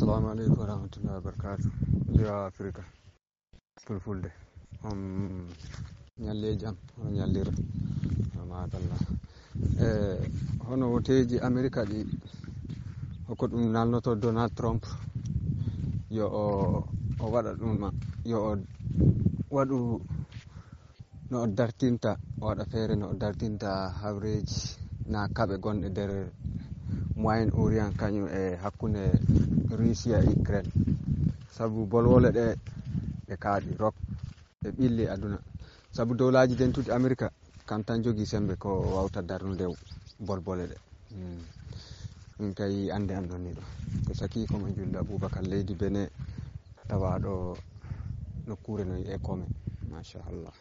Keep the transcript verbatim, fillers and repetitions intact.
Assalamu aleykum wa rahmatullahi wa barakatuh. Liwa Afrika. Fulfulde. On ñalli e jam, on ñallira. Makallah. E hono woteeji Amerika ɗi, hoko ɗum nalnoto Donald Trump, yo o, o waɗa ɗum ma, yo o waɗu no o dartinta, o waɗa feere no o dartinta hawreeji na kaɓe gonɗe nder Moyen Orient, kañum e hakkunde Russia e Ukraine. Sabu bolwole ɗe, ɗe kaaɗi rok, ɗe ɓilli aduna. Sabu dowlaaji dentuɗi Amerika, kam tan jogii sembe ko wawta darnude bolbole ɗe. Hmm. Min kay annde am ɗon ni ɗo. Ko saki ko mo julde Abubakar leydi Benin, tawaaɗo nokkuure no wi'ee Kome. Machallah.